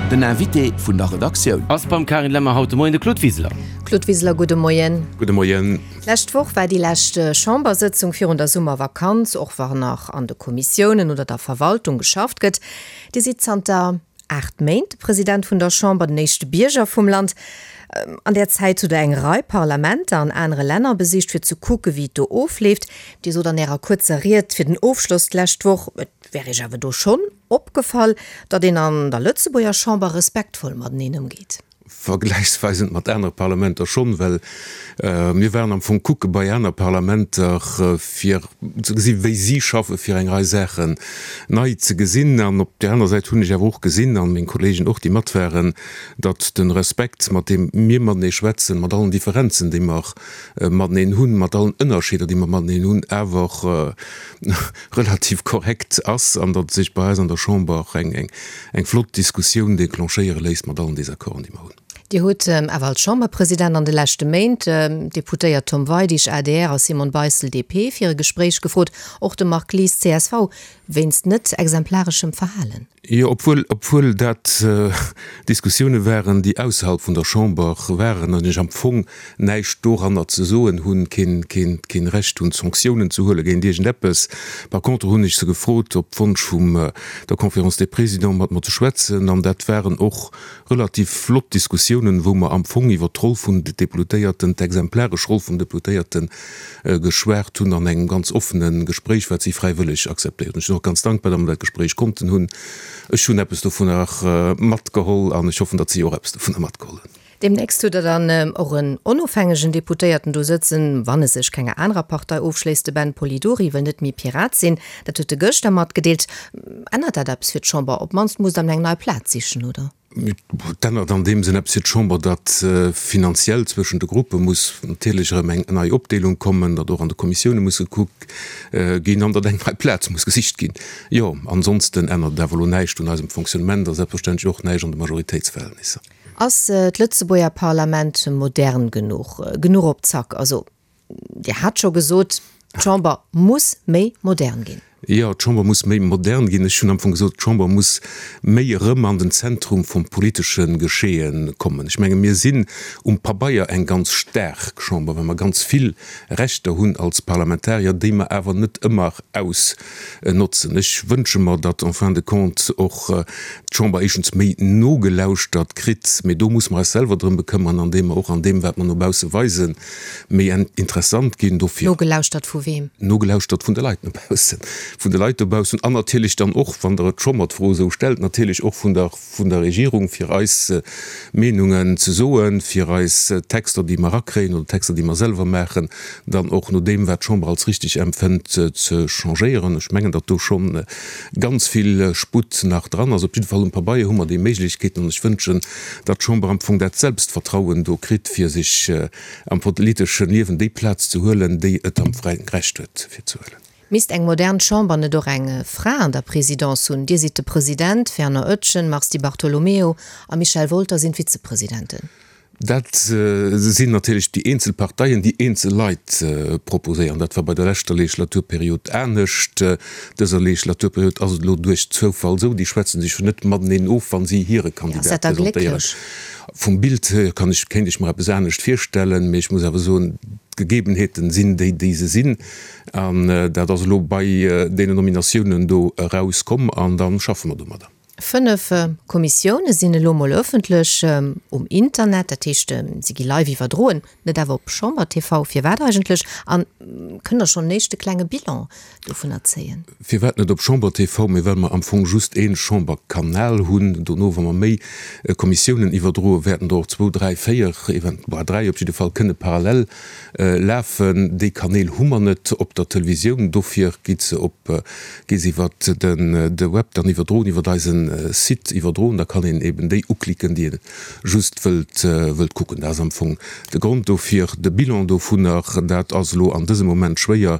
Den Invité vun der Redaktioun. Ass beim Carine Lemmer haut de Moien de Claude Wiseler. Claude Wiseler, gudde Moien. Gudde Moien. D'lescht Woch war déi lescht Chambersëtzung virun der Summervakanz, och wa nach an de Kommissiounen oder der Verwaltung geschafft gëtt. Dir sidd zanter 8 Méint de President vun der Chamber, den éischte Bierger vum Land. An där Zäit hutt Der eng Rei Parlamenter an anere Länner besicht, fir ze kucke wéi et do ofleeft. Dir sot an Ärer kuerzer Ried fir den Ofschloss d'lescht Woch, et wär Iech awer do schonn opgefall, datt een an der Lëtzebuerger Chamber respektvoll mateneen ëmgeet. Vergläichsweisend mat anere Parlamenter schonn, well mir waren am Fong kucke bei aner Parlamenter, fir ze gesi wéi si schaffen, fir eng Rei Saachen nei ze gesinn. An op där aner Säit hunn ech awer och gesinn, an meng Kollegen och, déi mat waren, datt de Respekt, mat deem mir matenee schwätzen, mat allen Differenzen, déi mer mateneen hunn, mat allen Ënnerscheeder, déi mer mateneen hunn, awer relativ korrekt ass an datt sech bei eis an der Chamber eng eng flott Diskussioun déclenchéiere léisst mat allen Désaccorden, déi mer hunn. Dir hutt awer als Chamberpresident an de leschte Méint d'Deputéiert Tom Weidig, adr, a Simone Beissel, DP, fir e Gespréich gefrot, och de Marc Lies, csv, wéinst net exemplareschem Verhalen. Jo, obwuel, obwuel dat Diskussioune waren, déi ausserhalb vun der Chamber waren an ech am Fong näischt doranner ze soen hunn, keen, keen, keen Recht hunn, Sanktiounen ze huele géint iergendeppes. Par contre hunn ech se gefrot, op Wonsch vum der Conférence des Présidents mat mer ze schwätzen, an dat waren och relativ flott Diskussiounen, wou mer am Fong iwwert d'Roll vun de Deputéierten, d'exemplaresch Roll vum Deputéierte geschwat hunn an engem ganz offene Gespréich, wat si fräiwëlleg akzeptéiert hunn. Ech sinn och ganz dankbar, datt mer dat Gespréich konnten hunn. Ech hunn eppes dovunner matgeholl an ech hoffen, datt si och eppes dovunner matgeholl hunn. Deemnächst hutt Der dann och en onofhängegen Deputéierten do sëtzen, wann e sech kenger anerer Partei ofschléisst. De Ben Polidori wëll net méi Pirat sinn, dat huet e gëschter matgedeelt. Ännert dat eppes fir d'Chamber? Op d'mannst musst Der eng nei Plaz sichen, oder? Et ännert an deem Sënn eppes fir d'Chamber, datt finanziell zwëschen de Gruppe muss natierlech erëm eng nei Opdeelung kommen, datt och an de Kommissioune muss gekuckt ginn an datt eng nei Plaz muss gesicht ginn. Jo, ansonsten ännert et awer elo näischt un eisem Fonctionnement a selbstverständlech och näischt an de Majoritéitsverhältnisser. Ass d'Lëtzebuerger Parlament modern genuch, genuch op Zack? Also, Dir hat scho gesot, d'Chamber muss méi modern ginn. Jo, d'Chamber muss méi modern ginn. Ech hunn am Fong gesot, d'Chamber muss méi erëm an den Zentrum vum politesche Geschehen kommen. Ech menge mir sinn um Pabeier eng ganz staark Chamber, well mer ganz vill Rechter hunn als Parlamentarier, déi mer awer net ëmmer ausnotzen. Ech wënsche mer, datt en fin de compte och d'Chamber éischtens méi nogelauschtert kritt, mee do muss mer eis selwer drëm bekëmmern, andeem mer och an deem, wat mer no bausse weisen, méi interessant ginn. Dofir. Nogelauschtert vu weem? Nogelauschtert vun de Leit no baussen, vun de Leit dobaussen an natierlech dann och, wann Der et scho mer d'Fro esou stellt, natierlech och vun der, vun der Regierung, fir eis Meenungen ze soen, fir eis Texter, déi mer erakréien oder Texter, déi mer selwer maachen, dann och no deem, wat d'Chamber als richtig empfënnt, ze changéieren. Ech mengen, datt do scho ganz vill Sputt nach dran ass. Op jidde Fall um Pabeier hu mer déi Méiglechkeeten an ech wënschen, datt d'Chamber am Fong dat Selbstvertrauen do kritt, fir sech am politesche Liewen déi Plaz ze huelen, déi et am fräien Recht huet, fir ze huelen. Misst eng modern Chamber net och eng Fra an der Présidence hunn? Dir sidd de President, Fernand Oetjen, Mars Di Bartolomeo a Michel Wolter sinn d'Vizepresidenten. Dat sinn natierlech déi eenzel Parteien, déi eenzel Leit proposéieren. Dat war bei der leschter Legislaturperiod anescht. Dëser Legislaturperiod ass et elo duerch Zoufall esou. Déi schwätze sech jo net mateneen of, wa si hire Kandidat presentéieren. Vum Bild hier kann ech, kéint ech mer eppes anescht virstellen, mee ech muss awer soen, d'Gegebenheeten sinn déi, déi se sinn. An dat ass elo bei deenen Nominatiounen do erauskomm an da schaffe mer domadder. 5 Kommissioune sinn elo mol ëffentlech um Internet, dat heescht, si gi live iwwerdroen, net awer op Chamber TV. Firwat eigentlech? An kënnt Der schonn en éischte klenge Bilan dovunner zéien? Firwat net op Chamber TV? Mee well mer am Fong just ee Chamberkanal hunn. Dono, wa mer méi Kommissiounen iwwerdroen, wäerten der och zwou, dräi, véier, event, bah, dräi op jidde Fall kënne parallel lafen. Déi Kanäl hu mer net op der Televisioun, dofir gi se op, gi se iwwer den de Web dann iwwerdroen, iwwer eisen Site iwwerdroen. Da kann een eben déi uklicken, déi ee just wëllt, wëllt kucken. Dat ass am Fong de Grond dofir. De Bilan dovunner, dat ass elo an dësem Moment schwéier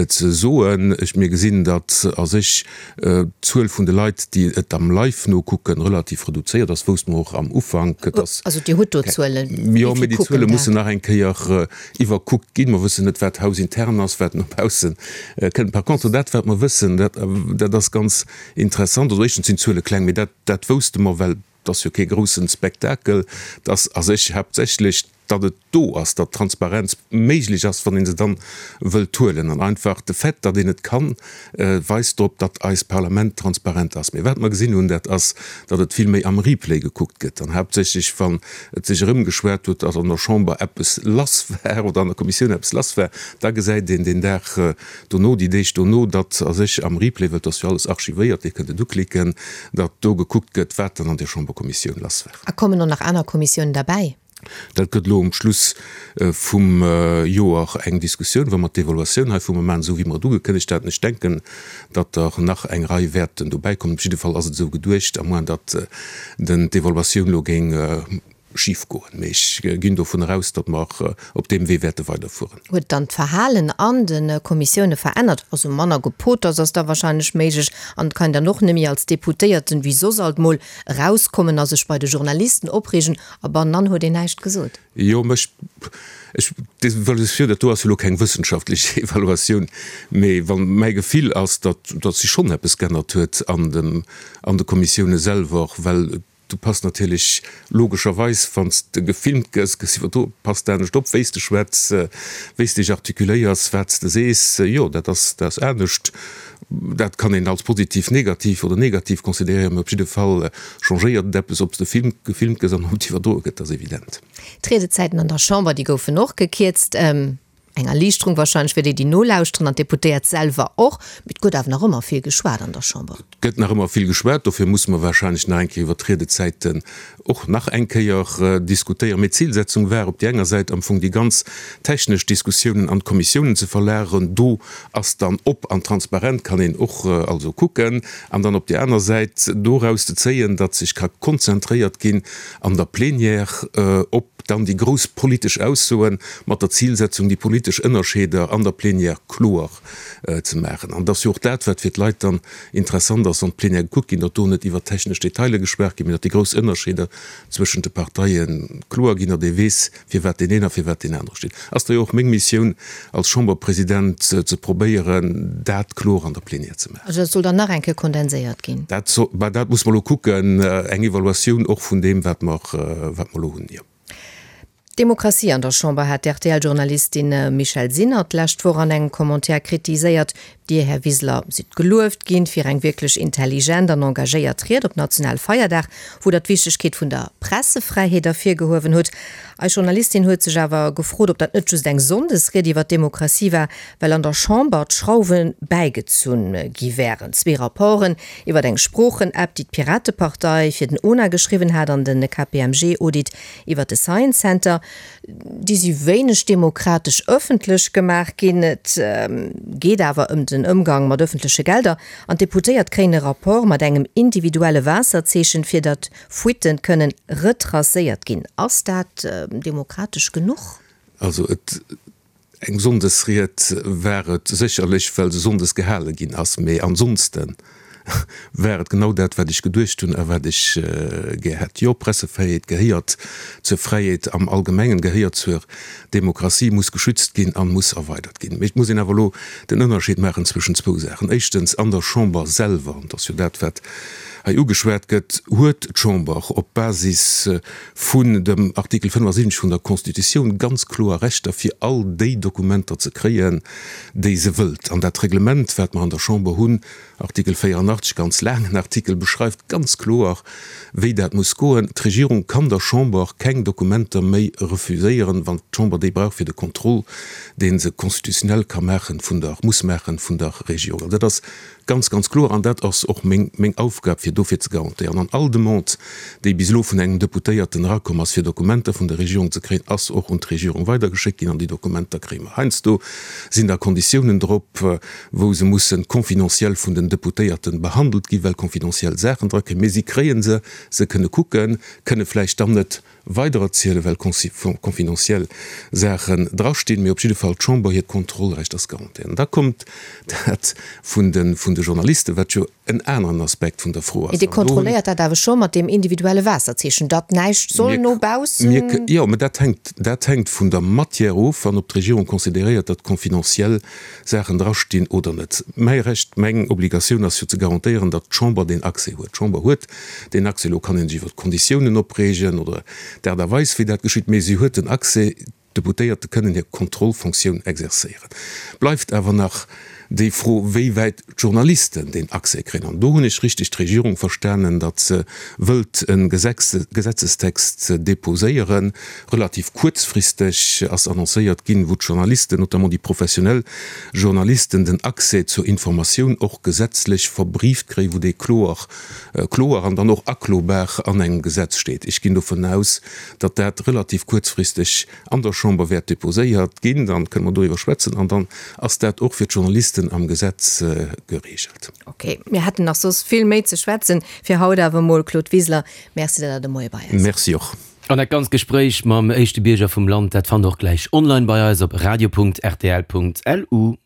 ze soen. Ech, mir gesinn, datt a sech d'Zuel vun de Leit, déi et am Live nokucken, relativ reduzéiert ass, wousste mer och am Ufank. Et ass. Also Dir hutt do Zuelen, wéi vill kucken dat? Jo, mee déi Zuele mussen nach eng Kéier iwwerkuckt ginn. Mer wëssen net, wat hausintern ass, wat no bausse kënnt. Par contre, dat wat mer wëssen, dat, dat ass ganz interessant. Also éischtens sinn d'Zuele kleng, mee dat, dat wousste mer, well. Et ass jo kee groussen Spektakel. Et ass a sech haaptsächlech, datt et do ass, datt Transparenz méiglech ass, wann ee se dann wëllt huelen. An einfach de Fait, datt een et kann, weist drop, datt eist Parlament transparent ass. Mee wat mer gesinn hunn, dat ass, datt et vill méi am Replay gekuckt gëtt an haaptsächlech, wann et sech erëmgeschwat huet, datt an der Chamber eppes lass war oder an der Kommissioun eppes lass war, da gesäit een deen Dag dono, déi Deeg dono, datt a sech am Replay, well et ass jo alles archivéiert, Dir kënnt et uklicken, datt do gekuckt gëtt, wat dann an där Chamberkommissioun lass war. A kommen och nach aner Kommissiounen derbäi? Dat gëtt elo um Schluss vum Joer eng Diskussioun, wa mer d'Evaluatioun hei vu mer maachen, esou wéi mer et ugekënnegt haten. Ech denken, datt der nach eng Rei wäerten dobäikommen. Op jidde Fall ass et esou geduecht, à moins datt d'Evaluatioun elo géing schif goen. Mee ech ginn dovunner aus, datt mer op deem Wee wäerte weiderfueren. Huet dann d'Verhalen an de Kommissioune verännert? Also manner Gepoters ass da wahrscheinlech méiglech an et kann een dann och nemmi als Deputéierten, wéi soss alt mol, erauskommen a sech bei de Journalisten opreegen a bannenan huet een näischt gesot. Jo, mä ech, ech, d'Evaluatioun, dat do ass jo elo keng wëssenschaftlech Evaluatioun, mee wa mäi Gefill ass, datt, datt sech schonn eppes g'ännert huet an dem, an de Kommissioune selwer, well Du pass natierlech logescherweis, wann s de gefilmt gëss, gëss iwwerdroen, pass de anescht op, wéi s de schwätz, wéi s dech artikuléiers, wat s de sees. Jo, dat ass, dat ass anescht. Dat kann een als positiv, negativ oder negativ consideréieren, mee op jidde Fall changéiert et eppes, ob s de filmt, gefilmt gëss an ob et iwwerdroe gëtt, dat ass evident. D'Riedezäiten an der Chamber, déi goufen och gekierzt. Eng Erliichterung wahrscheinlech fir déi, déi nolauschteren an d'Deputéiert selwer och. Mee et gëtt awer nach ëmmer vill geschwat an der Chamber. Et gëtt nach ëmmer vill geschwat. Dofir musse mer wahrscheinlech nach eng Kéier iwwert d'Riedezäiten och nach eng Kéier diskutéieren. Mee d'Zilsetzung war op déi enger Säit am Fong déi ganz technesch Diskussiounen an d'Kommissiounen ze verlageren. Do ass dann op an transparent, kann een och also kucken. An dann op déi aner Säit doraus ze zéien, datt sech ka konzentréiert ginn an der Plénière op dann déi grouss politesch Aussoen, mat der Zilsetzung, déi politesch Ënnerscheeder an der Plénière kloer ze maachen. An et ass jo och dat, wat fir d'Leit dann interessant ass, wann d'Plénière gekuckt ginn, datt do net iwwer technesch Detailer geschwat ginn, mee datt déi grouss Ënnerscheeder zwëschent de Parteie kloer ginn, datt ee weess, firwat deen een a firwat deen anere steet. Ass da jo och meng Missioun als Chamberpresident, ze probéieren, dat kloer an der Plénière ze maachen. Also dat soll dann nach eng Kéier kondenséiert ginn? Dat soll, bah, dat muss mer elo kucken, eng Evaluatioun och vun deem, wat mer, wat mer elo hunn, jo. D'Demokratie an der Chamber hat d'RTL-Journalistin Michèle Sinner d'lescht Woch an engem Commentaire kritiséiert. Dir, Här Wiseler, sidd gelueft ginn fir eng wierklech intelligent an engagéiert Ried op Nationalfeierdag, wou Der d'Wichtegkeet vun der Pressefräiheet ervirgehuewen hutt. Eis Journalistin huet sech awer gefrot, ob dat net just eng Sonndesried iwwer d'Demokratie war, well an der Chamber d'Schrauwe bäigezunn gi wären. Zwee Rapporten iwwer eng Sproochen-App, déi d'Piratepartei fir den ona geschriwwen hat, an de KPMG-Audit iwwer de Science Center, déi si wéineg demokratesch ëffentlech gemaach ginn. Et geet awer ëm den Ëmgang mat ëffentleche Gelder an d'Deputéiert kréien e Rapport mat engem individuelle Waasserzeechen, fir datt Fuitten kënnen retracéiert ginn. Ass dat demokratesch genuch? Also et Eng Sonndesried war et sécherlech, well se sonndes gehale ginn ass, mee ansonste war et genau dat, wat ech geduecht hunn a wat ech gär hätt. Jo, Pressefräiheet gehéiert zur Fräiheet am Allgemengen, gehéiert zur Demokratie, muss geschützt ginn a muss erweidert ginn. Mee et muss een awer elo den Ënnerscheed maachen zwëschen zwou Saachen. Éischtens, an der Chamber selwer, an et ass jo dat, wat hei ugeschwat gëtt, huet d'Chamber op Basis vun dem Artikel 75 vun der Constitutioun ganz kloer Rechter, fir all déi Dokumenter ze kréien, déi se wëllt. An dat Reglement, wat mer an der Chamber hunn, Artikel 84, ganz laangen Artikel, beschreift ganz kloer, wéi dat muss goen. D'Regierung kann der Chamber keng Dokumenter méi refuséieren, wann d'Chamber déi brauch fir de Contrôle, dee se constitutionnel ka maachen vun der, muss maachen vun der Regierung. An dat ass Ganz, ganz kloer, an dat ass och meng, meng Aufgab, fir dofir ze garantéieren. An all Demande, déi bis elo vun engem Deputéierten erakomm ass, fir Dokumenter vun der Regierung ze kréien, ass och un d'Regierung weidergeschéckt ginn an déi Dokumenter kréie mer. Heiansdo sinn da Konditiounen drop, wou se mussen confidentiel vun den Deputéierten behandelt ginn, well confidentiel Saachen dra kréien. Mee si kréie se, se kënne kucken, kënne vläicht dann net weidererzielen, well confidentiel Saachen drastinn, mee op jidde Fall d'Chamber hiert Kontrollrecht ass garantéiert. An da kommt dat vun de vun de Journalisten, wat jo en aneren Aspekt vun der Fro ass. Mee Dir kontrolléiert dat awer scho mat deem individuelle Waasserzeechen, datt näischt soll no baussen. Jo, mä dat hänkt, dat hänkt vun der Matière of an ob d'Regierung consideréiert, datt confidentiel Saachen drastinn oder net. Mäi Recht, meng Obligatioun ass jo ze garantéieren, datt d'Chamber deen Accès huet. D'Chamber huet deen Accès. Elo kann ee sech iwwer d'Konditiounen opreegen oder d'Aart a Weis, wéi dat geschitt, mee si huet den Accès. D'Deputéierte kënnen hir Kontrollfonctioun exerzéieren. Bleift awer nach déi Fro, wéi wäit d'Journalisten deen Accès kréien. An do hunn ech richteg d'Regierung verstanen, datt se wëllt e Gesetzestext deposéieren, relativ kuerzfristeg ass annoncéiert ginn, wou d'Journalisten, notamment déi professionell Journalisten, den Accès zur Informatioun och gesetzlech verbrieft kréien, wou dee kloer, kloer an dann och aklobar an engem Gesetz steet. Ech ginn dovun aus, datt dat relativ kuerzfristeg an der Chamber wäert deposéiert ginn, dann kënne mer doriwwer schwätzen an dann ass dat och fir d'Journalisten am Gesetz geregelt. Ok, mir hätten nach soss vill méi ze schwätzen. Fir haut awer emol, Claude Wiseler, Merci, datt Der de Moie bei eis waart. Merci och. An dat ganzt Gespréich mam éischte Bierger vum Land, dat fannt der och gläich online bei eis op radio.rtl.lu.